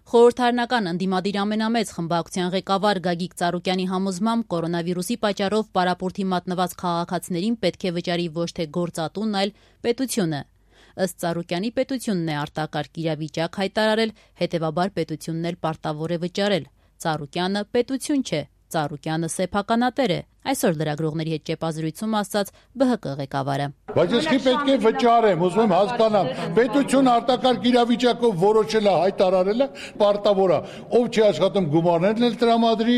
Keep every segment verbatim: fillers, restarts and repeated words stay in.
Խորհրդարանական ընդդիմադիր ամենամեծ խմբակցության ղեկավար Գագիկ Ծառուկյանի համոզմամբ կորոնավիրուսի պատճառով պարապորտի մատնված քաղաքացիներին պետք է վճարի ոչ թե գործատուն, այլ պետությունը։ Ըստ Ծառուկյանի պետությունն է արտակարգ իրավիճակ հայտարարել, հետևաբար պետությունն էլ պարտավոր է վճարել։ Ծառուկյանը պետություն չէ, Ծառուկյանը սեփականատեր է, այսօր լրագրողների հետ ճեպազրույցում ասաց Բ Հ Կ ղեկավարը։ Բայց ես չի պետք է վճարեմ, ուզում եմ հասկանամ, պետություն արտակարգ իրավիճակով որոշել է, հայտարարել է, պարտավոր է, ով չի աշխատում գումարներն էլ տրամադրի,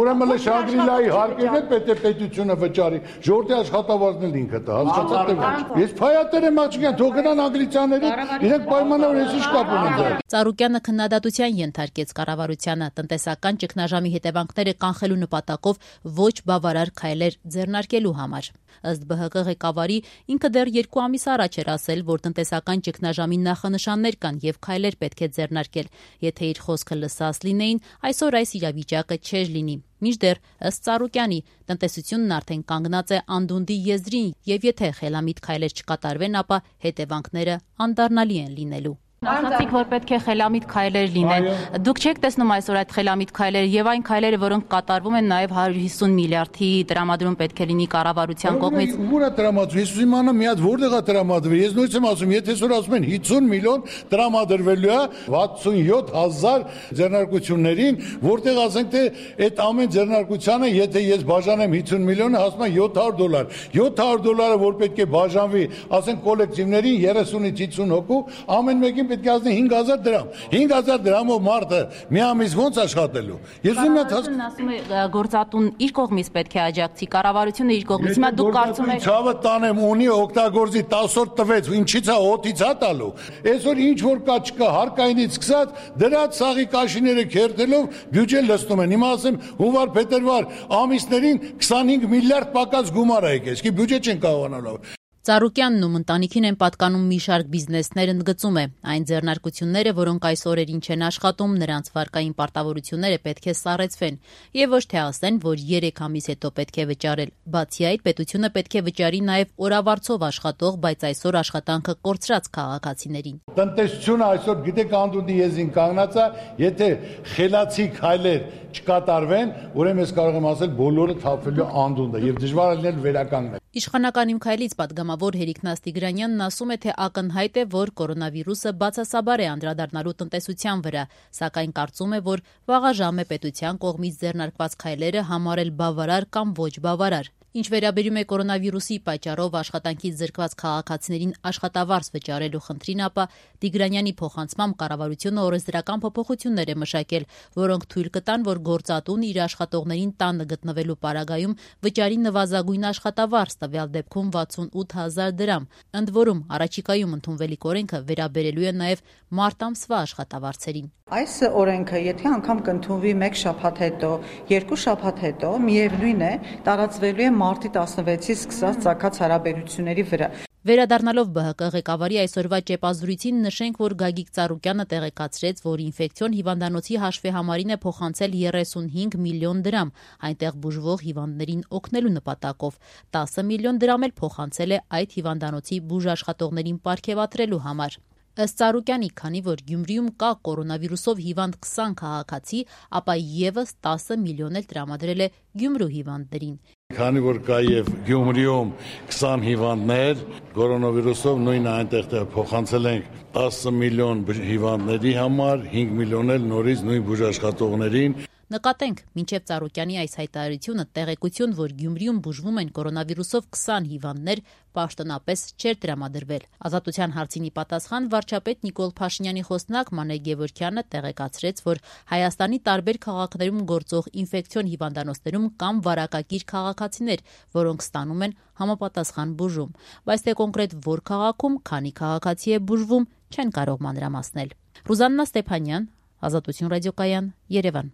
ուրեմն Շանգրիլայի հարկերն էլ պետք է պետությունը վճարի, ժողովրդի աշխատավարձն էլ ինքը տա, հասկացա՞ք թե ոչ։ Ես փայատեր եմ աղջիկան, թող գնան անգլիացիաների, իրենք պայմանավոր ես ինչ կապ ունեն դրա։ Ծառուկյանը քննադատության ենթարկեց կառավարությանը տնտեսական ճգնաժամի հետևանքները կանխելու նպատակով ոչ բավարար քայլեր ձեռնարկելու համար։ Ըստ Բ Հ Կ ղեկավարի ինքը դեռ երկու ամիս առաջ էր ասել, որ տնտեսական ճգնաժամի նախանշաններ կան եւ քայլեր պետք է ձեռնարկել։ Եթե իր խոսքը լսած լինեին, այսօր այս իրավիճակը չէր լինի։ Մինչդեռ ըստ Ծառուկյանի տնտեսությունն արդեն կանգնած է անդունդի եզրին եւ եթե խելամիտ քայլեր չկատարվեն, ապա հետևանքները անդառնալի են լինելու։ Ասացիք, որ պետք է խելամիտ քայլեր լինեն։ Դուք չեք տեսնում այսօր այդ խելամիտ քայլերը եւ այն քայլերը, որոնք կատարվում են նաեւ հարյուր հիսուն միլիարդի տրամադրում պետք է լինի կառավարության կողմից։ Ուր է տրամադրվում։ Ես ուզում եմ մի հատ որտեղ է տրամադրվում։ Ես նույնիսկ եմ ասում, եթե այսօր ասում են հիսուն միլիոն տրամադրվելու է վաթսունյոթ հազար ձեռնարկություններին, որտեղ ասենք թե այդ ամեն ձեռնարկությանը, եթե ես բաժանեմ հիսուն միլիոնը, հասնում է յոթ հարյուր դոլար։ յոթ հարյուր դոլարը, որ պետք է բաժանվի, ասենք կոլեկտիվներին երեսունից հիսուն հոգու, ամեն մեկին պետք է ասնի հինգ հազար դրամ։ հինգ հազար դրամով մարդը մի ամիս ոնց աշխատելու։ Ես ուզում եմ հասկանալ, ասում է գործատուն իր կողմից պետք է աջակցի, կառավարությունը իր կողմից։ Հիմա դուք կարծում եք ցավը տանեմ ունի օգտագործի տասը օր տվեց, ինչի՞ց է օդից է տալու։ Այսօր ինչ որ կա չկա, հարկայինից սկսած դրած սաղի կաշիները քերթելով բյուջեն լցնում են։ Հիմա ասեմ հունվար, փետրվար ամիսներին քսանհինգ միլիարդ պակաս գումար է եկել, իսկ բյուջե չեն կարողանալու։ Ծառուկյանն ու ընտանիքին են պատկանում մի շարք բիզնեսներ, ընդգծում է։ Այն ձեռնարկությունները, որոնք այս օրերին չեն աշխատում, նրանց վարկային պարտավորությունները պետք է սառեցվեն եւ ոչ թե ասեն, որ երեք ամիս հետո պետք է վճարել։ Բացի այդ, պետությունը պետք է վճարի նաեւ օրավարձով աշխատող, բայց այսօր աշխատանքը կորցրած քաղաքացիներին։ Տնտեսությունը այսօր գիտեք անդունդի եզին կանգնած է, եթե խելացի քայլեր չկատարվեն, ուրեմն ես կարող եմ ասել բոլորը թափվելու անդունդը եւ դժվար է լինել վերականգնել։ Իշխանական իմ քայլից պատգամավոր Հերիք Տիգրանյանն ասում է, թե ակնհայտ է, որ կորոնավիրուսը բացասաբար է անդրադառնալու տնտեսության վրա, սակայն կարծում է, որ վաղաժամ է պետության կողմից ձեռնարկված քայլերը համարել բավարար կամ ոչ բավարար։ Ինչ վերաբերում է կորոնավիրուսի պատճառով աշխատանքից զրկված քաղաքացիներին աշխատավարձ վճարելու խնդրին, ապա Տիգրանյանի փոխանցմամբ կառավարությունը օրենսդրական փոփոխություններ է մշակել, որոնք թույլ կտան, որ գործատուն իր աշխատողներին տանը գտնվելու պարագայում վճարի նվազագույն աշխատավարձ, տվյալ դեպքում վաթսունութ հազար դրամ։ Ընդ որում, առաջիկայում ընդունվելիք օրենքը վերաբերելու է նաև մարտ ամսվա աշխատավարձերին։ Այս օրենքը, եթե անգամ կընդունվի մեկ շաբաթ հետո, երկու շաբաթ հետո, միևնույն է, տարածվելու է մարտի տասնվեցից սկսած ծագած հարաբերությունների վրա։ Վերադառնալով Բ Հ Կ ղեկավարի այսօրվա ճեպազրույցին նշենք, որ Գագիկ Ծառուկյանը տեղեկացրեց, որ ինֆեկցիոն հիվանդանոցի հաշվեհամարին է փոխանցել երեսունհինգ միլիոն դրամ, այնտեղ բուժվող հիվանդներին օգնելու նպատակով։ տասը միլիոն դրամ էլ փոխանցել է այդ հիվանդանոցի բուժաշխատողներին պարգևատրելու համար։ Ըստ Ծառուկյանի, քանի որ Գյումրիում կա կորոնավիրուսով հիվանդ քսան քաղաքացի, ապա եւս տասը միլիոն էլ տրամադրել է Գյումրու հիվանդներին։ Քանի որ կա եւ Գյումրիում քսան հիվանդներ, կորոնավիրուսով նույնը այնտեղ փոխանցել ենք տասը միլիոն հիվանդների համար, հինգ միլիոն էլ նորից նույն բուժաշխատողներին։ Նկատենք, մինչև Ծառուկյանի այս հայտարարությունը տեղեկություն, որ Գյումրիում բուժվում են կորոնավիրուսով քսան հիվանդներ, պաշտոնապես չէր տրամադրվել։ Ազատության հարցինի պատասխան վարչապետ Նիկոլ Փաշինյանի խոսնակ Մանե Գևորգյանը տեղեկացրեց, որ Հայաստանի տարբեր քաղաքներում գործող ինֆեկցիոն հիվանդանոցներում կան վարակագիր քաղաքացիներ, որոնք ստանում են համապատասխան բուժում, բայց թե կոնկրետ որ քաղաքում քանի քաղաքացի է բուժվում, չեն կարող մանրամասնել։ Ռուզաննա Ստեփանյան, Ազատություն ռադիոկայան, Երևան։